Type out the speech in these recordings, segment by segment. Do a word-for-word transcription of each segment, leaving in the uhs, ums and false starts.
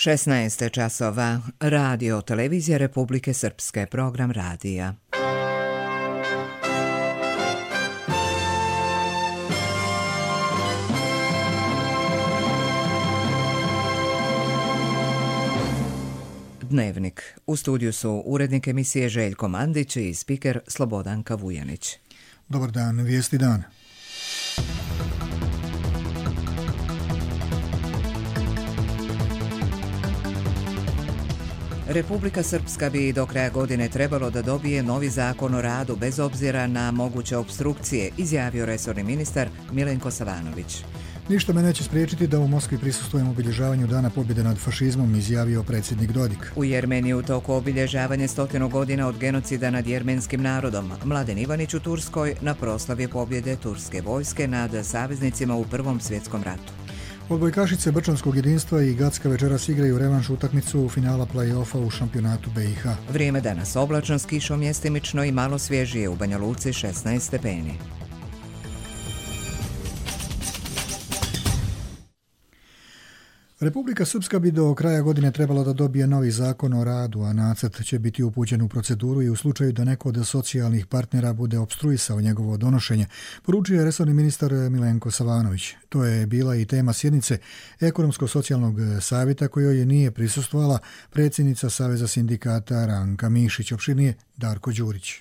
šesnaest časova. Radio Televizija Republike Srpske, program radija. Dnevnik. U studiju su urednik emisije Željko Mandić i spiker Slobodanka Vujanić. Dobar dan, vijesti dana. Republika Srpska bi do kraja godine trebalo da dobije novi zakon o radu bez obzira na moguće opstrukcije, izjavio resorni ministar Milenko Savanović. Ništa me neće spriječiti da u Moskvi prisustvujem obilježavanju Dana pobjede nad fašizmom, izjavio predsjednik Dodik. U Jermeniji u toku obilježavanje stotinu godina od genocida nad jermenskim narodom. Mladen Ivanić u Turskoj na proslavi pobjede turske vojske nad saveznicima u Prvom svjetskom ratu. Odbojkašice Brčanskog jedinstva i Gacka večeras igraju revanš utakmicu finala play-offa u šampionatu B i H. Vrijeme danas oblačno s kišom mjestimično i malo svježije, u Banja Luci šesnaest stepeni. Republika Srpska bi do kraja godine trebala da dobije novi zakon o radu, a nacrt će biti upućen u proceduru i u slučaju da neko od socijalnih partnera bude opstruisao njegovo donošenje, poručio je resorni ministar Milenko Savanović. To je bila i tema sjednice Ekonomsko-socijalnog savjeta kojoj nije prisustvovala predsjednica Saveza sindikata Ranka Mišić. Opširnije Darko Đurić.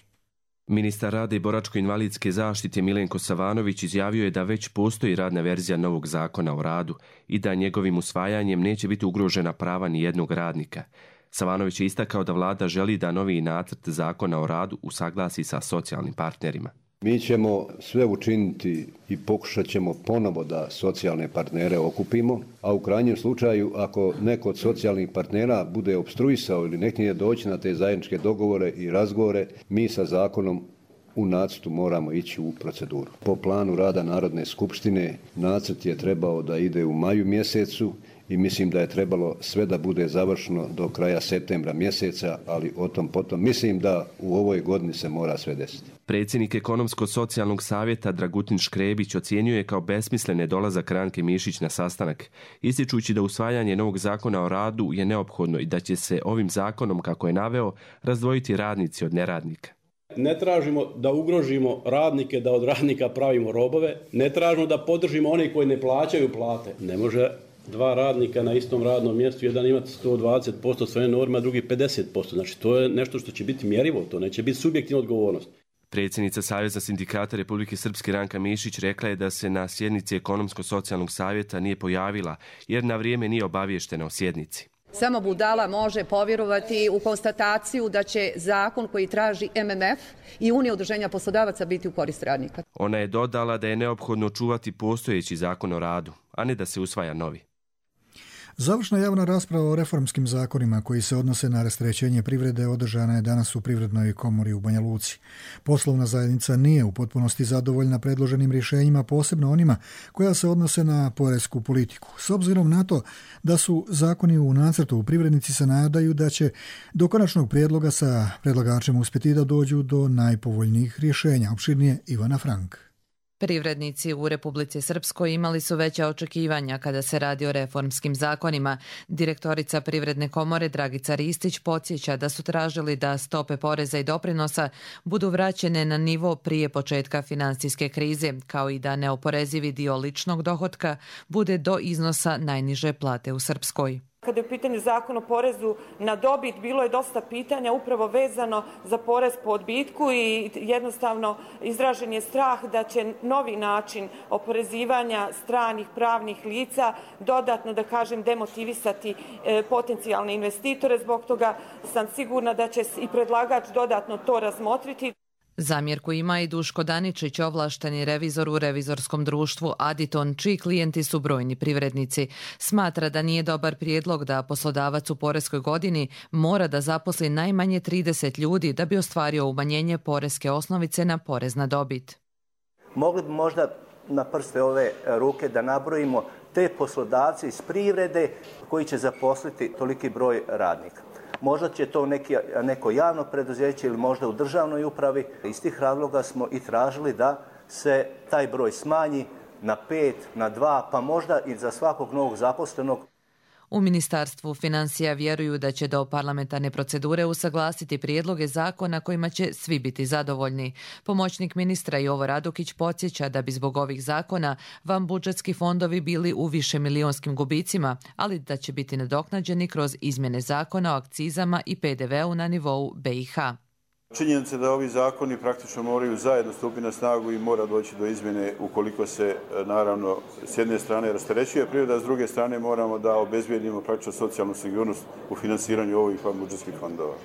Ministar rada i boračko-invalidske zaštite Milenko Savanović izjavio je da već postoji radna verzija novog zakona o radu i da njegovim usvajanjem neće biti ugrožena prava ni jednog radnika. Savanović je istakao da vlada želi da novi nacrt zakona o radu usaglasi sa socijalnim partnerima. Mi ćemo sve učiniti i pokušat ćemo ponovo da socijalne partnere okupimo, a u krajnjem slučaju ako neko od socijalnih partnera bude opstruisao ili neknije doći na te zajedničke dogovore i razgovore, mi sa zakonom u nacrtu moramo ići u proceduru. Po planu rada Narodne skupštine nacrt je trebao da ide u maju mjesecu i mislim da je trebalo sve da bude završeno do kraja septembra mjeseca, ali o tom potom mislim da u ovoj godini se mora sve desiti. Predsjednik Ekonomsko-socijalnog savjeta Dragutin Škrebić ocijenio je kao besmislene dolazak Ranke Mišić na sastanak, ističući da usvajanje novog zakona o radu je neophodno i da će se ovim zakonom, kako je naveo, razdvojiti radnici od neradnika. Ne tražimo da ugrožimo radnike, da od radnika pravimo robove, ne tražimo da podržimo one koji ne plaćaju plate. Ne može dva radnika na istom radnom mjestu, jedan imati sto dvadeset posto svoje norme, a drugi pedeset posto. Znači to je nešto što će biti mjerivo, to neće biti subjektivna odgovornost. Predsjednica Saveza sindikata Republike Srpske Ranka Mišić rekla je da se na sjednici Ekonomsko-socijalnog savjeta nije pojavila jer na vrijeme nije obavještena o sjednici. Samo budala može povjerovati u konstataciju da će zakon koji traži M M F i Unija udruženja poslodavaca biti u korist radnika. Ona je dodala da je neophodno čuvati postojeći zakon o radu, a ne da se usvaja novi. Završna javna rasprava o reformskim zakonima koji se odnose na rasterećenje privrede održana je danas u Privrednoj komori u Banja Luci. Poslovna zajednica nije u potpunosti zadovoljna predloženim rješenjima, posebno onima koja se odnose na poresku politiku. S obzirom na to da su zakoni u nacrtu, privrednici se nadaju da će do konačnog prijedloga sa predlagačem uspjeti da dođu do najpovoljnijih rješenja. Opširnije Ivana Frank. Privrednici u Republici Srpskoj imali su veća očekivanja kada se radi o reformskim zakonima. Direktorica Privredne komore Dragica Ristić podsjeća da su tražili da stope poreza i doprinosa budu vraćene na nivo prije početka finansijske krize, kao i da neoporezivi dio ličnog dohotka bude do iznosa najniže plate u Srpskoj. Kada je u pitanju zakon o porezu na dobit, bilo je dosta pitanja upravo vezano za porez po odbitku i jednostavno izražen je strah da će novi način oporezivanja stranih pravnih lica dodatno, da kažem, demotivisati e, potencijalne investitore. Zbog toga sam sigurna da će i predlagač dodatno to razmotriti. Zamjerku ima i Duško Daničić, ovlašteni revizor u revizorskom društvu Aditon, čiji klijenti su brojni privrednici. Smatra da nije dobar prijedlog da poslodavac u poreskoj godini mora da zaposli najmanje trideset ljudi da bi ostvario umanjenje poreske osnovice na porez na dobit. Mogli bi možda na prste ove ruke da nabrojimo te poslodavce iz privrede koji će zaposliti toliki broj radnika. Možda će to neki, neko javno preduzeće ili možda u državnoj upravi. Iz tih razloga smo i tražili da se taj broj smanji na pet, na dva, pa možda i za svakog novog zaposlenog. U Ministarstvu financija vjeruju da će do parlamentarne procedure usaglasiti prijedloge zakona kojima će svi biti zadovoljni. Pomoćnik ministra Jovo Radukić podsjeća da bi zbog ovih zakona vanbudžetski fondovi bili u višemilijonskim gubicima, ali da će biti nadoknađeni kroz izmjene zakona o akcizama i pe de veu na nivou be i ha. Činjenica da ovi zakoni praktično moraju zajedno stupiti na snagu i mora doći do izmjene ukoliko se naravno s jedne strane rasterećuje privreda, a s druge strane moramo da obezbijedimo praktično socijalnu sigurnost u financiranju ovih vanbudžetskih fondova.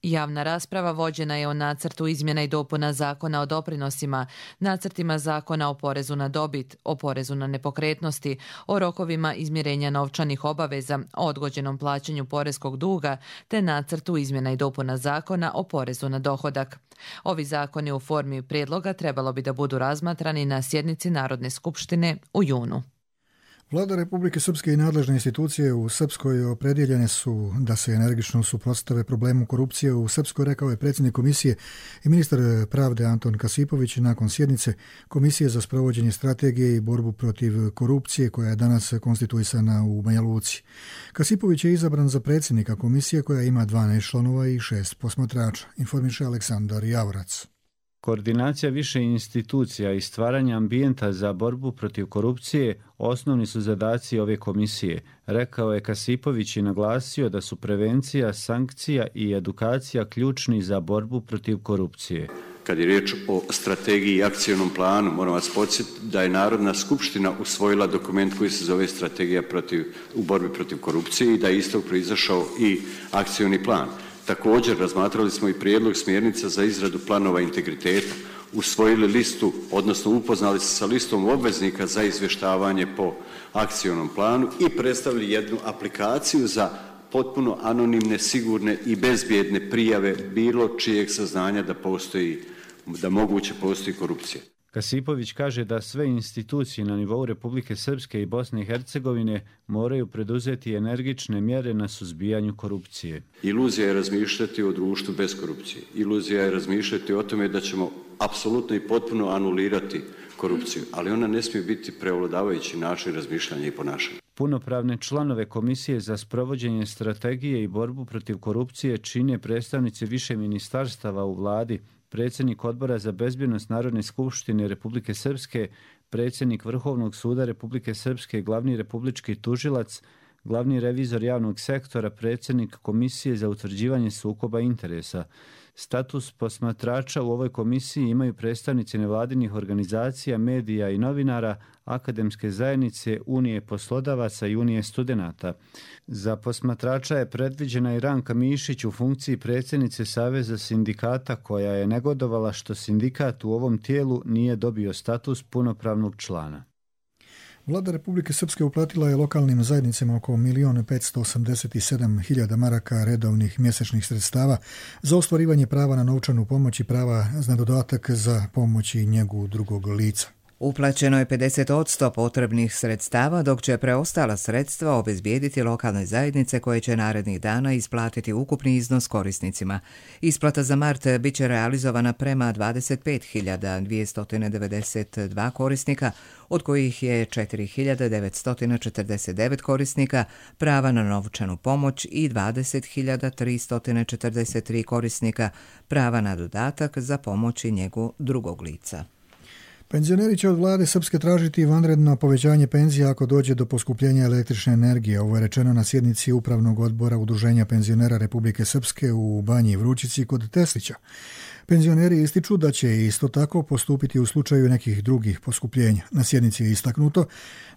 Javna rasprava vođena je o nacrtu izmjena i dopuna zakona o doprinosima, nacrtima zakona o porezu na dobit, o porezu na nepokretnosti, o rokovima izmirenja novčanih obaveza, o odgođenom plaćanju poreskog duga, te nacrtu izmjena i dopuna zakona o porezu na dohodak. Ovi zakoni u formi prijedloga trebalo bi da budu razmatrani na sjednici Narodne skupštine u junu. Vlada Republike Srpske i nadležne institucije u Srpskoj opredjeljene su da se energično suprotstave problemu korupcije u Srpskoj, rekao je predsjednik komisije i ministar pravde Anton Kasipović nakon sjednice Komisije za sprovođenje strategije i borbu protiv korupcije koja je danas konstituisana u Banja Luci. Kasipović je izabran za predsjednika komisije koja ima dvanaest članova i šest posmatrača, informiše Aleksandar Javorac. Koordinacija više institucija i stvaranje ambijenta za borbu protiv korupcije osnovni su zadaci ove komisije, rekao je Kasipović i naglasio da su prevencija, sankcija i edukacija ključni za borbu protiv korupcije. Kad je riječ o strategiji i akcijnom planu, moram vas podsjetiti da je Narodna skupština usvojila dokument koji se zove Strategija protiv, u borbi protiv korupcije i da je istog proizašao i akcijni plan. Također razmatrali smo i prijedlog smjernica za izradu planova integriteta, usvojili listu, odnosno upoznali se sa listom obveznika za izvještavanje po akcijnom planu i predstavili jednu aplikaciju za potpuno anonimne, sigurne i bezbjedne prijave bilo čijeg saznanja da postoji, da moguće postoji korupcija. Kasipović kaže da sve institucije na nivou Republike Srpske i Bosne i Hercegovine moraju preduzeti energične mjere na suzbijanju korupcije. Iluzija je razmišljati o društvu bez korupcije. Iluzija je razmišljati o tome da ćemo apsolutno i potpuno anulirati korupciju, ali ona ne smije biti prevladavajući način razmišljanja i ponašanja. Punopravne članove Komisije za sprovođenje strategije i borbu protiv korupcije čine predstavnici više ministarstava u vladi, predsjednik Odbora za bezbjednost Narodne skupštine Republike Srpske, predsjednik Vrhovnog suda Republike Srpske, glavni republički tužilac, glavni revizor javnog sektora, predsjednik Komisije za utvrđivanje sukoba interesa. Status posmatrača u ovoj komisiji imaju predstavnici nevladinih organizacija, medija i novinara, akademske zajednice, Unije poslodavaca i Unije studenata. Za posmatrača je predviđena i Ranka Mišić u funkciji predsjednice Saveza sindikata koja je negodovala što sindikat u ovom tijelu nije dobio status punopravnog člana. Vlada Republike Srpske uplatila je lokalnim zajednicama oko milion petsto osamdeset sedam hiljada maraka redovnih mjesečnih sredstava za ostvarivanje prava na novčanu pomoć i prava na dodatak za pomoć i njegu drugog lica. Uplaćeno je pedeset posto potrebnih sredstava, dok će preostala sredstva obezbijediti lokalne zajednice koje će narednih dana isplatiti ukupni iznos korisnicima. Isplata za mart bit će realizovana prema dvadeset pet hiljada dvjesto devedeset dva korisnika, od kojih je četiri hiljade devetsto četrdeset devet korisnika prava na novčanu pomoć i dvadeset hiljada tristo četrdeset tri korisnika prava na dodatak za pomoć i njegu drugog lica. Penzioneri će od vlade Srpske tražiti vanredno povećanje penzija ako dođe do poskupljenja električne energije. Ovo je rečeno na sjednici Upravnog odbora Udruženja penzionera Republike Srpske u Banji Vrućici kod Teslića. Penzioneri ističu da će isto tako postupiti u slučaju nekih drugih poskupljenja. Na sjednici je istaknuto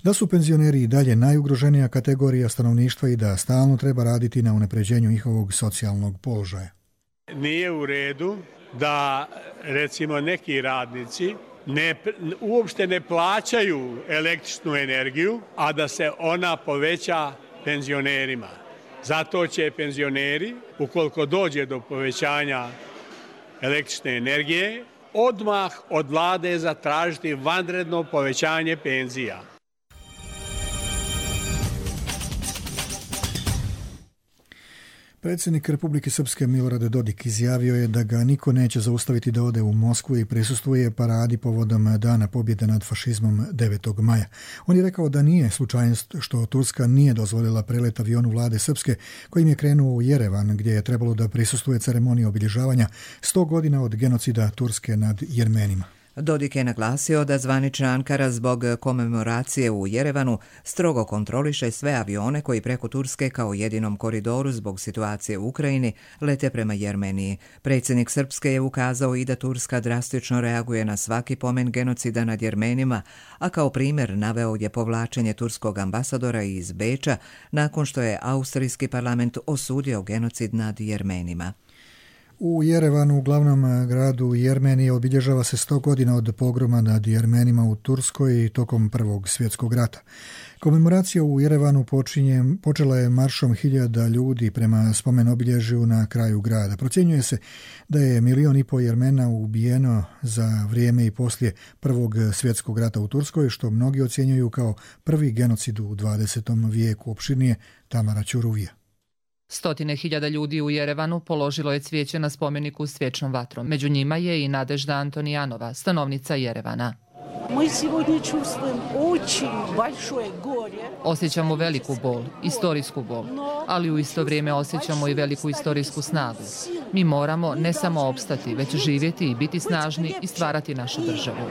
da su penzioneri i dalje najugroženija kategorija stanovništva i da stalno treba raditi na unapređenju njihovog socijalnog položaja. Nije u redu da recimo neki radnici Ne, uopšte ne plaćaju električnu energiju, a da se ona poveća penzionerima. Zato će penzioneri, ukoliko dođe do povećanja električne energije, odmah od vlade zatražiti vanredno povećanje penzija. Predsjednik Republike Srpske Milorad Dodik izjavio je da ga niko neće zaustaviti da ode u Moskvu i prisustvuje paradi povodom Dana pobjede nad fašizmom devetog maja. On je rekao da nije slučajnost što Turska nije dozvolila prelet avionu vlade Srpske kojim je krenuo u Jerevan gdje je trebalo da prisustvuje ceremoniji obilježavanja sto godina od genocida Turske nad Jermenima. Dodik je naglasio da zvanična Ankara zbog komemoracije u Jerevanu strogo kontroliše sve avione koji preko Turske kao jedinom koridoru zbog situacije u Ukrajini lete prema Jermeniji. Predsjednik Srpske je ukazao i da Turska drastično reaguje na svaki pomen genocida nad Jermenima, a kao primjer naveo je povlačenje turskog ambasadora iz Beča nakon što je austrijski parlament osudio genocid nad Jermenima. U Jerevanu, u glavnom gradu Jermenije, obilježava se sto godina od pogroma nad Jermenima u Turskoj tokom Prvog svjetskog rata. Komemoracija u Jerevanu počinje, počela je maršom hiljada ljudi prema spomen obilježju na kraju grada. Procjenjuje se da je milion i pol Jermena ubijeno za vrijeme i poslije Prvog svjetskog rata u Turskoj, što mnogi ocjenjuju kao prvi genocid u dvadesetom vijeku. Opširnije Tamara Ćuruvija. Stotine hiljada ljudi u Jerevanu položilo je cvijeće na spomeniku s vječnom vatrom. Među njima je i Nadežda Antonijanova, stanovnica Jerevana. Osjećamo veliku bol, istorijsku bol, ali u isto vrijeme osjećamo i veliku istorijsku snagu. Mi moramo ne samo opstati, već živjeti i biti snažni i stvarati našu državu.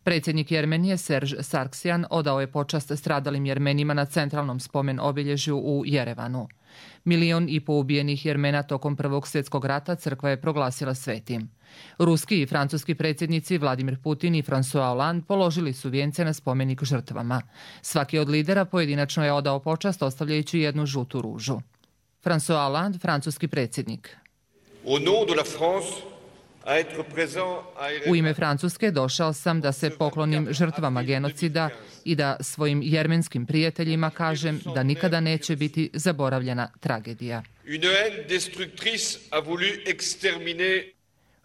Predsjednik Jermenije Serž Sargsyan odao je počast stradalim Jermenima na centralnom spomen obilježju u Jerevanu. Milion i po ubijenih Jermena tokom Prvog svjetskog rata crkva je proglasila svetim. Ruski i francuski predsjednici Vladimir Putin i François Hollande položili su vijence na spomenik žrtvama. Svaki od lidera pojedinačno je odao počast ostavljajući jednu žutu ružu. François Hollande, francuski predsjednik. Au nom de la France, u ime Francuske došao sam da se poklonim žrtvama genocida i da svojim jermenskim prijateljima kažem da nikada neće biti zaboravljena tragedija.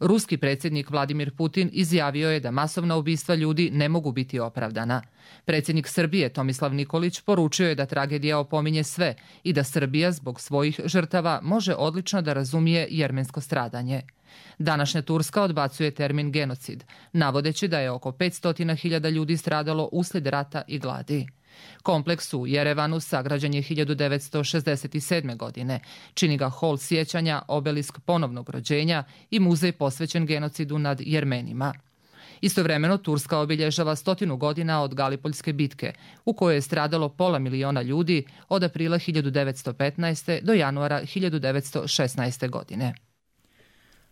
Ruski predsjednik Vladimir Putin izjavio je da masovna ubistva ljudi ne mogu biti opravdana. Predsjednik Srbije Tomislav Nikolić poručio je da tragedija opominje sve i da Srbija zbog svojih žrtava može odlično da razumije jermensko stradanje. Današnja Turska odbacuje termin genocid, navodeći da je oko petsto hiljada ljudi stradalo uslijed rata i gladi. Kompleks u Jerevanu sagrađen je hiljadu devetsto šezdeset sedme. godine. Čini ga hol sjećanja, obelisk ponovnog rođenja i muzej posvećen genocidu nad Jermenima. Istovremeno Turska obilježava stotinu godina od Galipoljske bitke, u kojoj je stradalo pola miliona ljudi od aprila hiljadu devetsto petnaeste. do januara hiljadu devetsto šesnaeste. godine.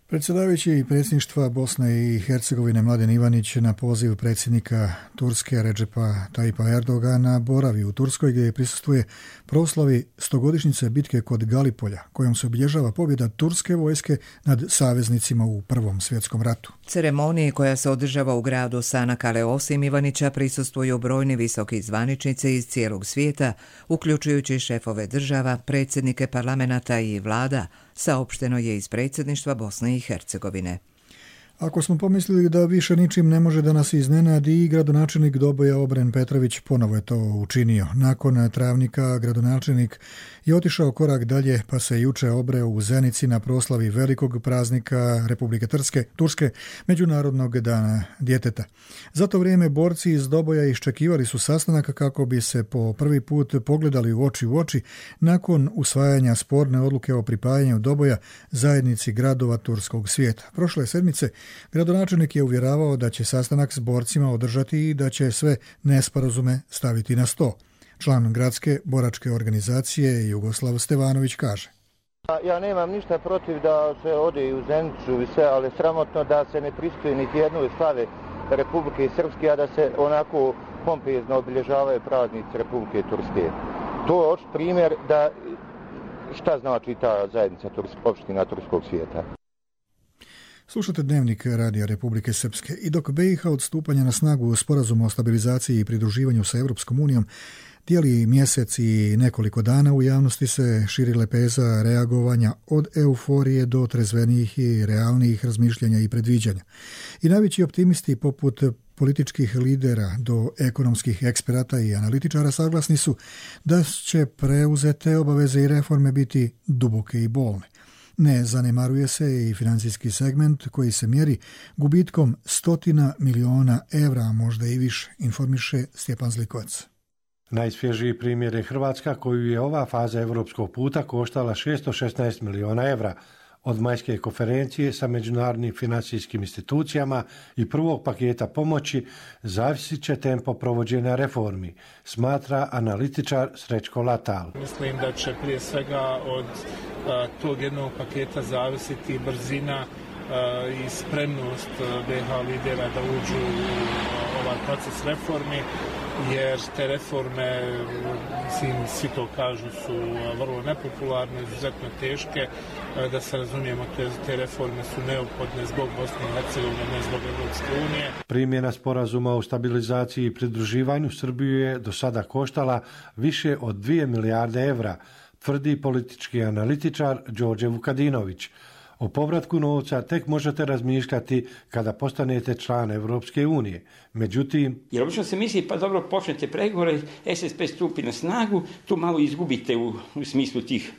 Predsjedavajući predsjedništva Bosne i Hercegovine Mladen Ivanić na poziv predsjednika Turske Redžepa Tajpa Erdogana boravi u Turskoj gdje prisustvuje proslavi stogodišnjice bitke kod Galipolja, kojom se obilježava pobjeda turske vojske nad saveznicima u Prvom svjetskom ratu. Ceremoniji koja se održava u gradu Sanakale osim Ivanića prisustvuju brojni visoki zvaničnici iz cijelog svijeta, uključujući šefove država, predsjednike parlamenta i vlada, saopšteno je iz predsjedništva Bosne i Hercegovine. Ako smo pomislili da više ničim ne može da nas iznenadi, i gradonačelnik Doboja Obren Petrović ponovo je to učinio. Nakon Travnika gradonačelnik je otišao korak dalje pa se juče obreo u Zenici na proslavi velikog praznika Republike Turske, Turske, Međunarodnog dana djeteta. Za to vrijeme borci iz Doboja iščekivali su sastanak kako bi se po prvi put pogledali u oči u oči nakon usvajanja sporne odluke o pripajanju Doboja zajednici gradova turskog svijeta. Prošle sedmice gradonačelnik je uvjeravao da će sastanak s borcima održati i da će sve nesporazume staviti na sto. Član gradske boračke organizacije Jugoslav Stevanović kaže: Ja nemam ništa protiv da se ode i u Zenicu i sve, ali sramotno da se ne pristuje niti jednoj slave Republike Srpske, a da se onako pompezno obilježavaju praznici Republike Turske. To je očit primjer da šta znači ta zajednica opština turskog svijeta. Slušate Dnevnik Radija Republike Srpske. I dok B i H od stupanja na snagu sporazuma o stabilizaciji i pridruživanju sa Europskom unijom Dijeli mjesec i nekoliko dana u javnosti se širi lepeza reagovanja od euforije do trezvenijih i realnijih razmišljanja i predviđanja. I najveći optimisti poput političkih lidera do ekonomskih eksperata i analitičara saglasni su da će preuzete obaveze i reforme biti duboke i bolne. Ne zanemaruje se i financijski segment koji se mjeri gubitkom stotina miliona evra, a možda i više, informiše Stjepan Zlikovac. Najsvježiji primjer je Hrvatska, koju je ova faza europskog puta koštala šesto šesnaest miliona evra. Od majske konferencije sa međunarodnim financijskim institucijama i prvog paketa pomoći zavisit će tempo provođenja reformi, smatra analitičar Srećko Latal. Mislim da će prije svega od a, tog jednog paketa zavisiti brzina a, i spremnost be ha lidera da uđu u ovaj proces reformi, jer te reforme, mislim, svi to kažu, su vrlo nepopularne, izuzetno teške. Da se razumijemo, te, te reforme su neophodne zbog Bosne i Hercegovine, ne zbog Europske unije. Primjena sporazuma o stabilizaciji i pridruživanju Srbiju je do sada koštala više od dvije milijarde evra, tvrdi politički analitičar Đorđe Vukadinović. O povratku novca tek možete razmišljati kada postanete član Evropske unije. Međutim, jer obično se misli, pa dobro, počnete pregovore, es es pe stupi na snagu, tu malo izgubite u, u smislu tih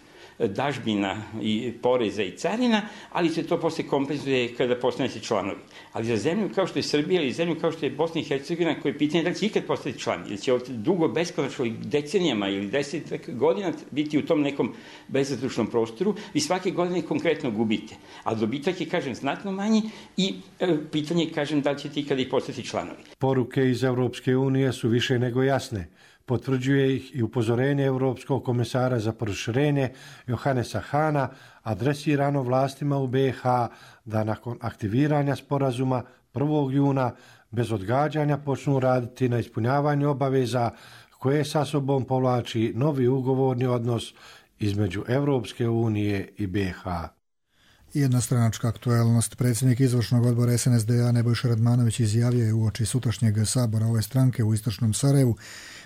dažbina i poreza i carina, ali se to poslije kompenzuje kada postanete članovi. Ali za zemlju kao što je Srbija ili zemlju kao što je Bosna i Hercegovina, koje je pitanje da li će ikad postati član, ili će dugo beskonačno decenijama ili deset godina biti u tom nekom bezazručnom prostoru, vi svake godine konkretno gubite. A dobitak je, kažem, znatno manji i e, pitanje je, kažem, da li ćete ikada i postati članovi. Poruke iz Europske unije su više nego jasne. Potvrđuje ih i upozorenje Europskog komesara za proširenje Johanesa Hana, adresirano vlastima u be ha da nakon aktiviranja sporazuma prvog juna bez odgađanja počnu raditi na ispunjavanju obaveza koje sa sobom povlači novi ugovorni odnos između Europske unije i be ha. Jednostranačka aktualnost. Predsjednik izvršnog odbora es en es de a Nebojša Radmanović izjavio je uoči sutrašnjeg sabora ove stranke u istočnom Sarajevu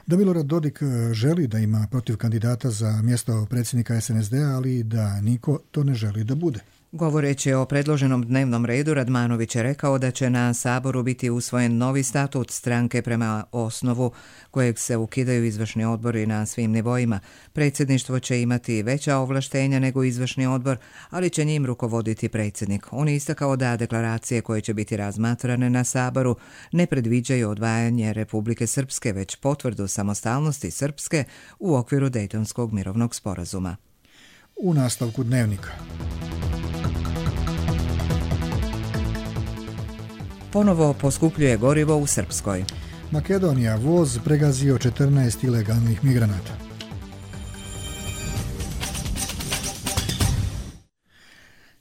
da Milorad Dodik želi da ima protiv kandidata za mjesto predsjednika es en es de a, ali da niko to ne želi da bude. Govoreći o predloženom dnevnom redu, Radmanović je rekao da će na Saboru biti usvojen novi statut stranke prema osnovu kojeg se ukidaju izvršni odbori na svim nivoima. Predsjedništvo će imati veća ovlaštenja nego izvršni odbor, ali će njim rukovoditi predsjednik. On je istakao da deklaracije koje će biti razmatrane na Saboru ne predviđaju odvajanje Republike Srpske, već potvrdu samostalnosti Srpske u okviru Dejtonskog mirovnog sporazuma. U nastavku dnevnika. Ponovo poskupljuje gorivo u Srpskoj. Makedonija, voz pregazio četrnaest ilegalnih migranata.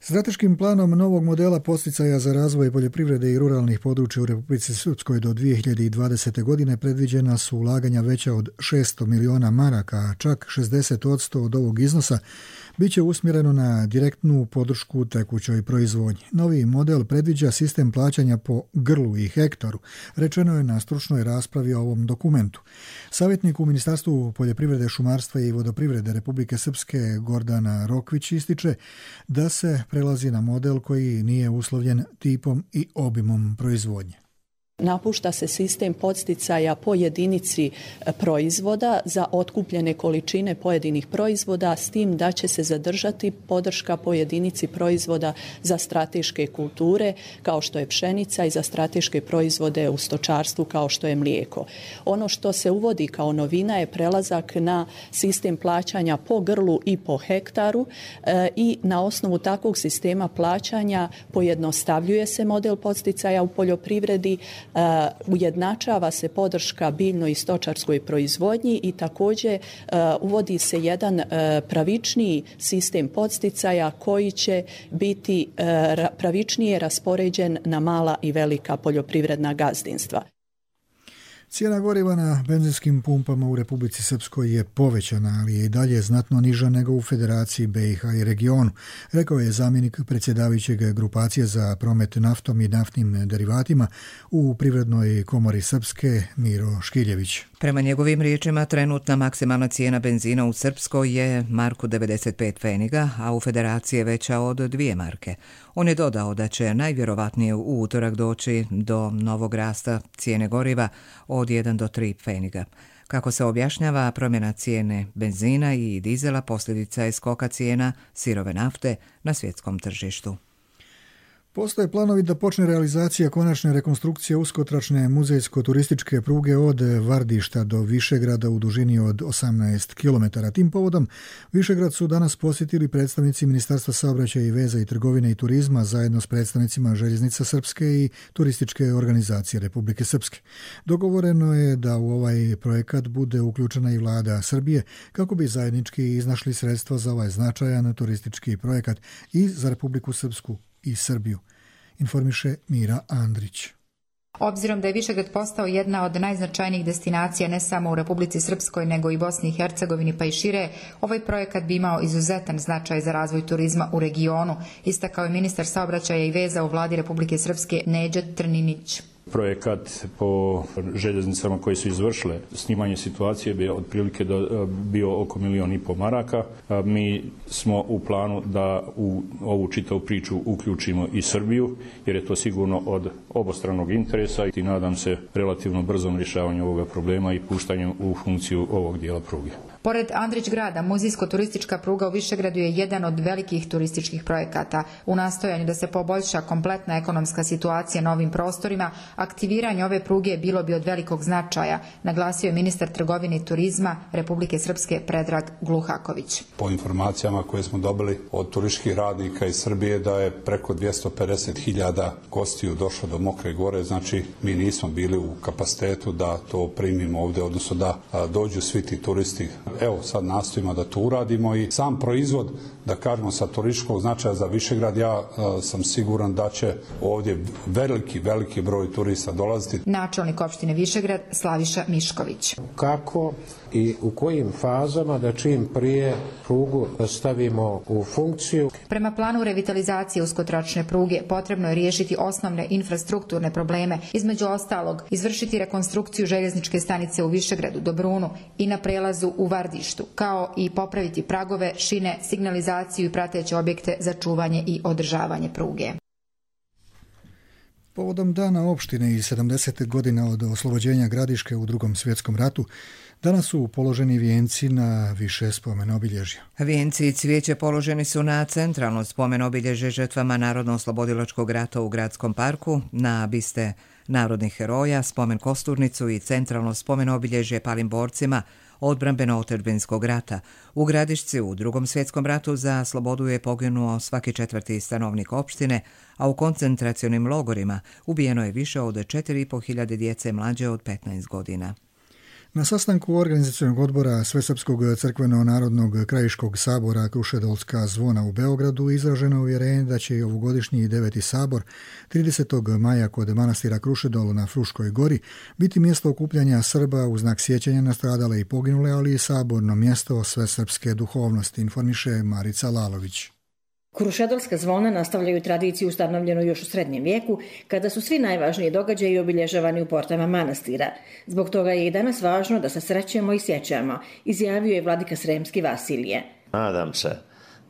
Strateškim planom novog modela podsticaja za razvoj poljoprivrede i ruralnih područja u Republici Srpskoj do dvije hiljade dvadesete. godine predviđena su ulaganja veća od šesto miliona maraka, a čak šezdeset posto od ovog iznosa biće usmjereno na direktnu podršku tekućoj proizvodnji. Novi model predviđa sistem plaćanja po grlu i hektaru, rečeno je na stručnoj raspravi o ovom dokumentu. Savjetnik u Ministarstvu poljoprivrede, šumarstva i vodoprivrede Republike Srpske Gordana Rokvić ističe da se prelazi na model koji nije uslovljen tipom i obimom proizvodnje. Napušta se sistem podsticaja po jedinici proizvoda za otkupljene količine pojedinih proizvoda, s tim da će se zadržati podrška po jedinici proizvoda za strateške kulture kao što je pšenica i za strateške proizvode u stočarstvu kao što je mlijeko. Ono što se uvodi kao novina je prelazak na sistem plaćanja po grlu i po hektaru e, i na osnovu takvog sistema plaćanja pojednostavljuje se model podsticaja u poljoprivredi, Uh, ujednačava se podrška biljnoj i stočarskoj proizvodnji i također uh, uvodi se jedan uh, pravičniji sistem podsticaja koji će biti uh, pravičnije raspoređen na mala i velika poljoprivredna gazdinstva. Cijena goriva na benzinskim pumpama u Republici Srpskoj je povećana, ali je i dalje znatno niža nego u Federaciji B i H i regionu, rekao je zamjenik predsjedavajućeg grupacije za promet naftom i naftnim derivatima u Privrednoj komori Srpske Miro Škiljević. Prema njegovim riječima, trenutna maksimalna cijena benzina u Srpskoj je marku devedeset pet pfeniga, a u Federaciji je veća od dvije marke. On je dodao da će najvjerovatnije u utorak doći do novog rasta cijene goriva od jedan do tri pfeniga. Kako se objašnjava, promjena cijene benzina i dizela posljedica je skoka cijena sirove nafte na svjetskom tržištu. Postoje planovi da počne realizacija konačne rekonstrukcije uskotračne muzejsko-turističke pruge od Vardišta do Višegrada u dužini od osamnaest kilometara. Tim povodom Višegrad su danas posjetili predstavnici Ministarstva saobraćaja i veza i trgovine i turizma zajedno s predstavnicima Željeznica Srpske i Turističke organizacije Republike Srpske. Dogovoreno je da u ovaj projekat bude uključena i vlada Srbije kako bi zajednički iznašli sredstva za ovaj značajan turistički projekat i za Republiku Srpsku i Srbiju, informiše Mira Andrić. Obzirom da je Višegrad postao jedna od najznačajnijih destinacija ne samo u Republici Srpskoj nego i Bosni i Hercegovini pa i šire, ovaj projekat bi imao izuzetan značaj za razvoj turizma u regionu, istakao je ministar saobraćaja i veza u vladi Republike Srpske Neđa Trninić. Projekat po željeznicama koje su izvršile snimanje situacije bi otprilike bio oko milijon i pol maraka. Mi smo u planu da u ovu čitavu priču uključimo i Srbiju, jer je to sigurno od obostranog interesa i nadam se relativno brzom rješavanju ovoga problema i puštanju u funkciju ovog dijela pruge. Pored Andrić grada, muzejsko-turistička pruga u Višegradu je jedan od velikih turističkih projekata. U nastojanju da se poboljša kompletna ekonomska situacija na ovim prostorima, aktiviranje ove pruge bilo bi od velikog značaja, naglasio je ministar trgovine i turizma Republike Srpske Predrag Gluhaković. Po informacijama koje smo dobili od turističkih radnika iz Srbije da je preko dvjesto pedeset hiljada gostiju došlo do Mokre Gore, znači mi nismo bili u kapacitetu da to primimo ovdje, odnosno da dođu svi ti turisti. Evo sad nastojimo da to uradimo i sam proizvod, da kažemo sa turističkog značaja za Višegrad, ja a, sam siguran da će ovdje veliki, veliki broj turista dolaziti. Načelnik opštine Višegrad Slaviša Mišković. Kako i u kojim fazama da čim prije prugu stavimo u funkciju? Prema planu revitalizacije uskotračne pruge potrebno je riješiti osnovne infrastrukturne probleme, između ostalog izvršiti rekonstrukciju željezničke stanice u Višegradu, Dobrunu i na prelazu u Vardištu, kao i popraviti pragove, šine, signalizaciju i prateće objekte za čuvanje i održavanje pruge. Povodom dana opštine i sedamdeset godina od oslobođenja Gradiške u Drugom svjetskom ratu, danas su položeni vijenci na više spomen obilježja. Vijenci i cvijeće položeni su na centralno spomen obilježje žrtvama Narodno-oslobodilačkog rata u Gradskom parku, na biste narodnih heroja, spomen Kosturnicu i centralno spomen obilježje palim borcima odbrambeno-otadžbinskog rata. U Gradišci u Drugom svjetskom ratu za slobodu je poginuo svaki četvrti stanovnik opštine, a u koncentracionim logorima ubijeno je više od četiri i po hiljade djece mlađe od petnaest godina. Na sastanku organizacionog odbora Svesrpskog crkveno-narodnog krajiškog sabora Krušedolska zvona u Beogradu izraženo uvjerenje da će i ovogodišnji deveti sabor tridesetog maja kod manastira Krušedol na Fruškoj gori biti mjesto okupljanja Srba u znak sjećanja na stradale i poginule, ali i saborno mjesto svesrpske duhovnosti, informiše Marica Lalović. Krušedolska zvona nastavljaju tradiciju ustanovljenu još u srednjem vijeku, kada su svi najvažniji događaji obilježavani u portama manastira. Zbog toga je i danas važno da se srećemo i sjećamo, izjavio je vladika Sremski Vasilije. Nadam se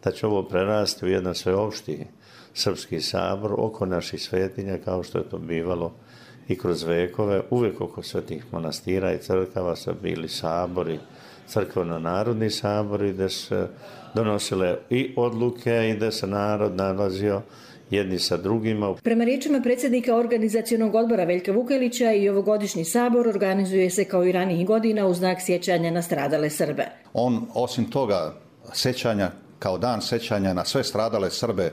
da će ovo prerasti u jedan sveopšti srpski sabor oko naših svetinja, kao što je to bivalo i kroz vekove. Uvijek oko svetih manastira i crkava su bili sabori, crkveno-narodni sabori, gdje se donosile i odluke i da se narod nalazio jedni sa drugima. Prema riječima predsjednika organizacionog odbora Veljka Vukelića, i ovogodišnji sabor organizuje se kao i ranijih godina u znak sjećanja na stradale Srbe. On, osim toga sjećanja, kao dan sjećanja na sve stradale Srbe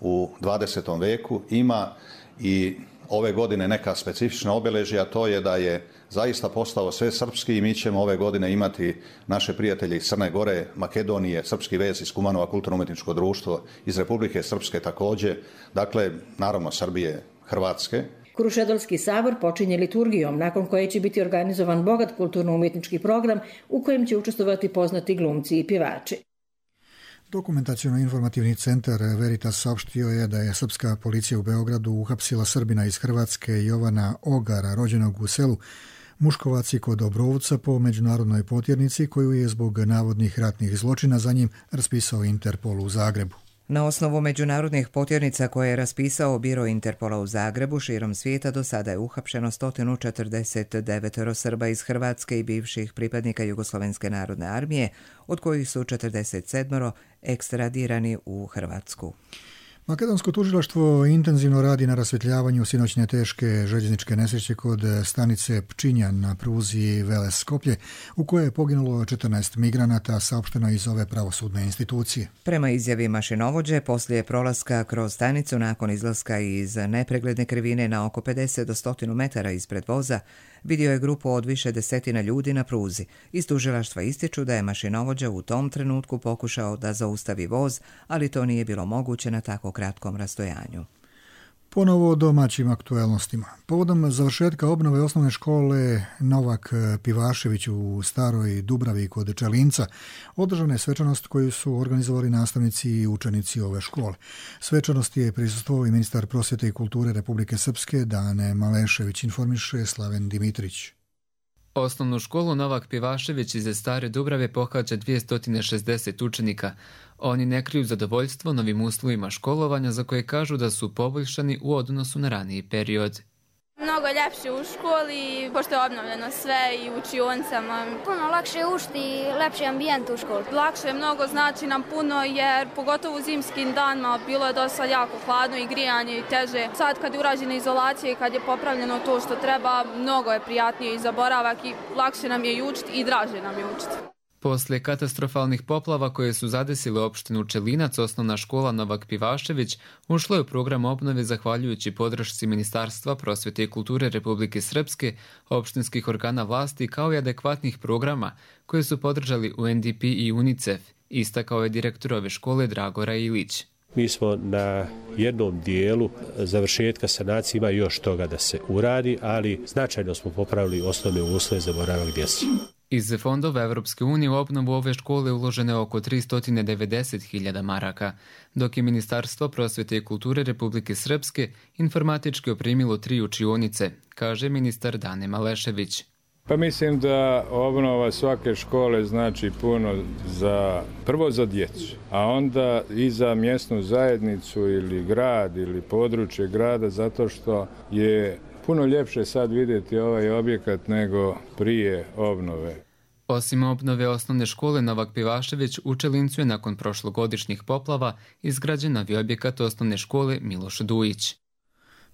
u dvadesetom veku, ima i ove godine neka specifična obilježja, to je da je zaista postao sve srpski i mi ćemo ove godine imati naše prijatelje iz Crne Gore, Makedonije, Srpski vez iz Kumanova kulturno-umjetničko društvo, iz Republike Srpske također, dakle, naravno Srbije, Hrvatske. Krušedolski sabor počinje liturgijom, nakon koje će biti organizovan bogat kulturno-umjetnički program u kojem će učestvovati poznati glumci i pjevači. Dokumentaciono-informativni centar Veritas saopštio je da je srpska policija u Beogradu uhapsila Srbina iz Hrvatske Jovana Ogara, rođenog u selu Muškovaci kod Obrovca po međunarodnoj potjernici koju je zbog navodnih ratnih zločina za njim raspisao Interpol u Zagrebu. Na osnovu međunarodnih potjernica koje je raspisao Biro Interpola u Zagrebu, širom svijeta do sada je uhapšeno sto četrdeset devet Srba iz Hrvatske i bivših pripadnika Jugoslovenske narodne armije, od kojih su četrdeset sedam ekstradirani u Hrvatsku. Makedonsko tužilaštvo intenzivno radi na rasvjetljavanju sinoćne teške željezničke nesreće kod stanice Pčinjan na pruzi Veles-Skoplje, u kojoj je poginulo četrnaest migranata, saopšteno iz ove pravosudne institucije. Prema izjavi mašinovođe, poslije prolaska kroz stanicu nakon izlaska iz nepregledne krivine na oko pedeset do sto metara ispred voza, vidio je grupu od više desetina ljudi na pruzi. Iz tužilaštva ističu da je mašinovođa u tom trenutku pokušao da zaustavi voz, ali to nije bilo moguće na tako kratkom rastojanju. Ponovo o domaćim aktuelnostima. Povodom završetka obnove osnovne škole Novak Pivašević u Staroj Dubravi kod Čelinca održana je svečanost koju su organizovali nastavnici i učenici ove škole. Svečanosti je prisustvovao i ministar prosvjete i kulture Republike Srpske Dane Malešević, informiše Slaven Dimitrić. Osnovnu školu Novak Pivašević iz Stare Dubrave pohađa dvjesto šezdeset učenika. Oni ne kriju zadovoljstvo novim uslovima školovanja za koje kažu da su poboljšani u odnosu na raniji period. Mnogo je ljepše u školi, pošto je obnovljeno sve i u učionicama. Puno lakše je učiti i lepši ambijent u školi. Lakše mnogo znači nam puno jer pogotovo u zimskim danima bilo je dosta jako hladno i grijanje i teže. Sad kad je urađena izolacija i kad je popravljeno to što treba, mnogo je prijatnije i za boravak i lakše nam je i učiti i draže nam je učiti. Poslije katastrofalnih poplava koje su zadesile opštinu Čelinac, osnovna škola Novak Pivašević ušla je u program obnove zahvaljujući podršci Ministarstva prosvjete i kulture Republike Srpske, opštinskih organa vlasti kao i adekvatnih programa koje su podržali U N D P i UNICEF, istakao je direktor ove škole Dragora Ilić. Mi smo na jednom dijelu završetka sanacije, ima još toga da se uradi, ali značajno smo popravili osnovne uslove za boravak djece. Iz fondova Evropske unije u obnovu ove škole uloženo je oko tristo devedeset hiljada maraka, dok je Ministarstvo prosvjete i kulture Republike Srpske informatički opremilo tri učionice, kaže ministar Dane Malešević. Pa mislim da obnova svake škole znači puno za, prvo za djecu, a onda i za mjesnu zajednicu ili grad ili područje grada, zato što je puno ljepše sad vidjeti ovaj objekat nego prije obnove. Osim obnove osnovne škole Novak Pivašević, u Čelincu je nakon prošlogodišnjih poplava izgrađen novi objekat osnovne škole Miloš Dujić.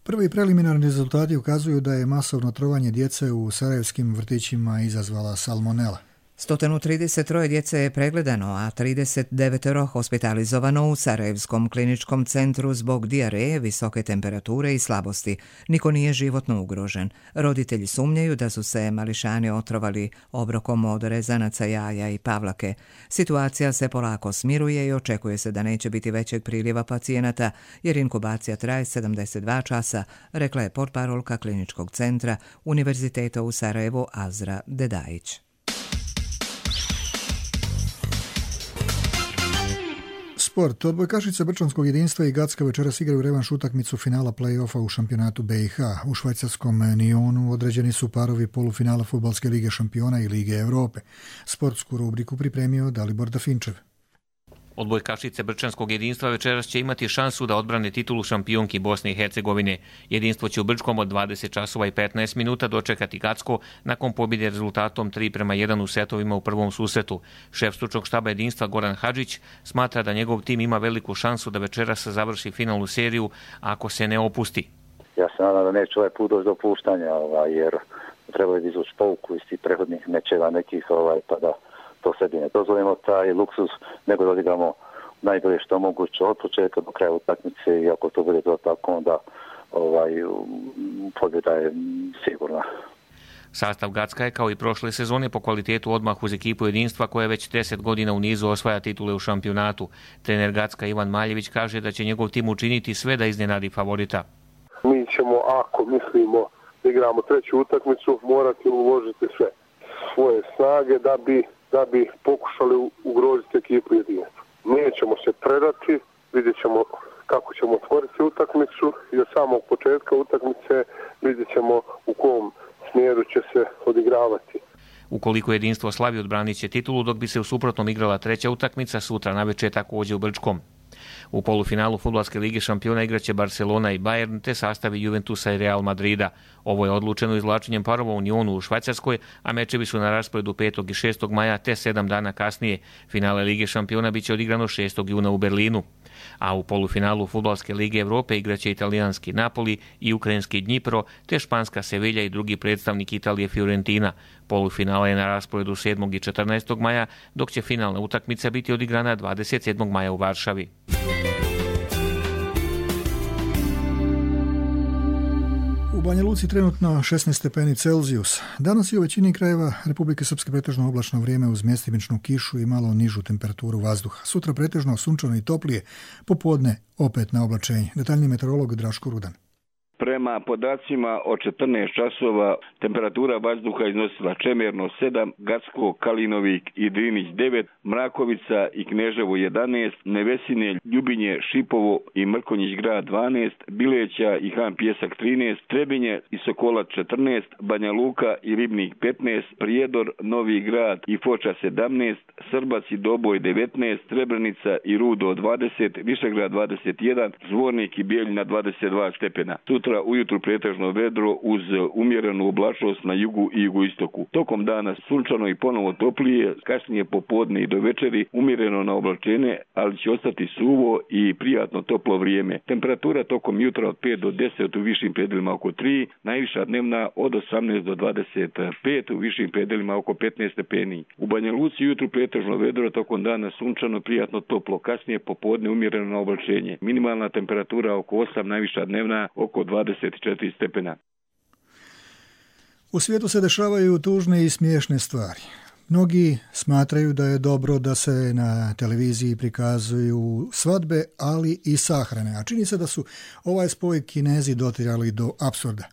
Prvi preliminarni rezultati ukazuju da je masovno trovanje djece u sarajevskim vrtićima izazvala salmonela. sto trideset tri djece je pregledano, a trideset devet hospitalizovano u Sarajevskom kliničkom centru zbog dijareje, visoke temperature i slabosti. Niko nije životno ugrožen. Roditelji sumnjaju da su se mališani otrovali obrokom od rezanaca jaja i pavlake. Situacija se polako smiruje i očekuje se da neće biti većeg priljeva pacijenata, jer inkubacija traje sedamdeset dva časa, rekla je portparolka kliničkog centra Univerziteta u Sarajevu Azra Dedajić. Sport. Odbojkašice Brčanskog jedinstva i Gacka večeras igraju revanš utakmicu finala play-offa u šampionatu B i H. U švajcarskom Nionu određeni su parovi polufinala Fudbalske lige šampiona i Lige Europe. Sportsku rubriku pripremio Dalibor Dafinčev. Odbojkašice Brčanskog jedinstva večeras će imati šansu da odbrane titulu šampionki Bosne i Hercegovine. Jedinstvo će u Brčkom od dvadeset časova i petnaest minuta dočekati Gacko nakon pobjede rezultatom tri prema jedan u setovima u prvom susretu. Šef stručnog štaba jedinstva Goran Hadžić smatra da njegov tim ima veliku šansu da večeras završi finalnu seriju ako se ne opusti. Ja se nadam da neće ovaj put doći do opuštanja, ovaj, jer treba je izvući pouku iz tih prethodnih mečeva nekih, ovaj, pa da to sebi ne dozvolimo taj luksuz, nego da odigramo najbolje što moguće od početka do kraja utakmice i ako to bude to tako, onda ovaj, pobjeda je sigurna. Sastav Gacka je kao i prošle sezone po kvalitetu odmah uz ekipu jedinstva koja već deset godina u nizu osvaja titule u šampionatu. Trener Gacka Ivan Maljević kaže da će njegov tim učiniti sve da iznenadi favorita. Mi ćemo, ako mislimo da igramo treću utakmicu, morati uložiti sve svoje snage da bi, da bi pokušali ugroziti ekipu jedinstva. Nećemo se predati, vidjet ćemo kako ćemo otvoriti utakmicu i od samog početka utakmice vidjet ćemo u kom smjeru će se odigravati. Ukoliko jedinstvo slavi, odbranit će titulu, dok bi se u suprotnom igrala treća utakmica sutra navečer također u Brčkom. U polufinalu Fudbalske lige šampiona igraće Barcelona i Bayern te sastavi Juventusa i Real Madrida. Ovo je odlučeno izvlačenjem parova u Unionu u Švajcarskoj, a mečevi su na rasporedu petog i šestog maja te sedam dana kasnije. Finale Lige šampiona biće odigrano šestog juna u Berlinu. A u polufinalu Fudbalske lige Europe igraće italijanski Napoli i ukrajinski Dnipro te španska Sevilja i drugi predstavnik Italije Fiorentina. Polufinala je na rasporedu sedmog i četrnaestog maja, dok će finalna utakmica biti odigrana dvadeset sedmog maja u Varšavi. U Banja Luci trenutno šesnaest stepeni Celzijus. Danas je u većini krajeva Republike Srpske pretežno oblačno vrijeme uz mjestimičnu kišu i malo nižu temperaturu vazduha. Sutra pretežno sunčano i toplije, popodne opet na oblačenje. Detaljni meteorolog Draško Rudan. Prema podacima od četrnaest časova temperatura vazduha iznosila Čemerno sedam, Gacko, Kalinovik i Drinić devet, Mrakovica i Kneževo jedanaest, Nevesinje, Ljubinje, Šipovo i Mrkonjić grad dvanaest, Bileća i Han Pjesak trinaest, Trebinje i Sokolac četrnaest, Banja Luka i Ribnik petnaest, Prijedor, Novi grad i Foča sedamnaest, Srbac i Doboj devetnaest, Srebrenica i Rudo dvadeset, Višegrad dvadeset jedan, Zvornik i Bijeljina dvadeset dva stepena. Sutra ujutru pretežno vedro uz umjerenu oblačnost na jugu i jugoistoku. Tokom dana sunčano i ponovo toplije, kasnije popodne i do večeri umjereno na oblačenje, ali će ostati suvo i prijatno toplo vrijeme. Temperatura tokom jutra od pet do deset, u višim predelima oko tri, najviša dnevna od osamnaest do dvadeset pet, u višim predelima oko petnaest stepeni. U Banja Luci jutru pretežno vedro, tokom dana sunčano, prijatno toplo, kasnije popodne umjereno na oblačenje. Minimalna temperatura oko osam, najviša dnevna oko dvadeset četiri stepena. U svijetu se dešavaju tužne i smiješne stvari. Mnogi smatraju da je dobro da se na televiziji prikazuju svadbe, ali i sahrane, a čini se da su ovaj spoj Kinezi dotirali do apsurda.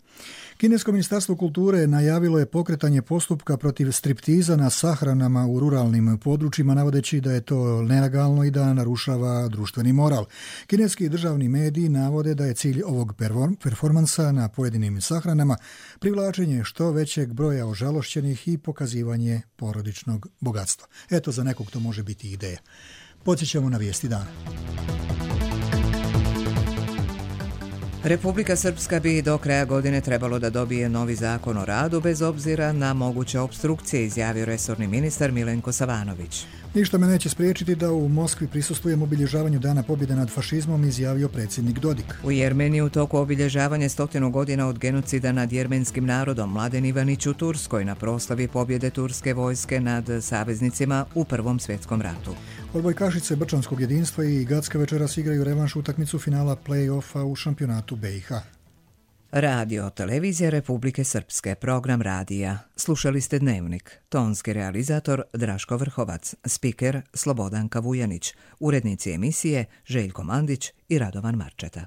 Kinesko ministarstvo kulture najavilo je pokretanje postupka protiv striptiza na sahranama u ruralnim područjima, navodeći da je to nelegalno i da narušava društveni moral. Kineski državni mediji navode da je cilj ovog performansa na pojedinim sahranama privlačenje što većeg broja ožalošćenih i pokazivanje porodičnog bogatstva. Eto, za nekog to može biti ideja. Podsjećamo na vijesti dana. Republika Srpska bi do kraja godine trebalo da dobije novi zakon o radu bez obzira na moguće opstrukcije, izjavio resorni ministar Milenko Savanović. Ništa me neće spriječiti da u Moskvi prisustvujem obilježavanju Dana pobjede nad fašizmom, izjavio predsjednik Dodik. U Jermeniji u toku obilježavanja stotinu godina od genocida nad jermenskim narodom Mladen Ivanić u Turskoj na proslavi pobjede turske vojske nad saveznicima u Prvom svjetskom ratu. Odbojkašice Brčanskog jedinstva i Gacka večeras igraju revanš utakmicu finala play-offa u šampionatu B i H. Radio Televizija Republike Srpske, program radija. Slušali ste Dnevnik. Tonski realizator Draško Vrhovac, spiker Slobodanka Vujanić, urednici emisije Željko Mandić i Radovan Marčeta.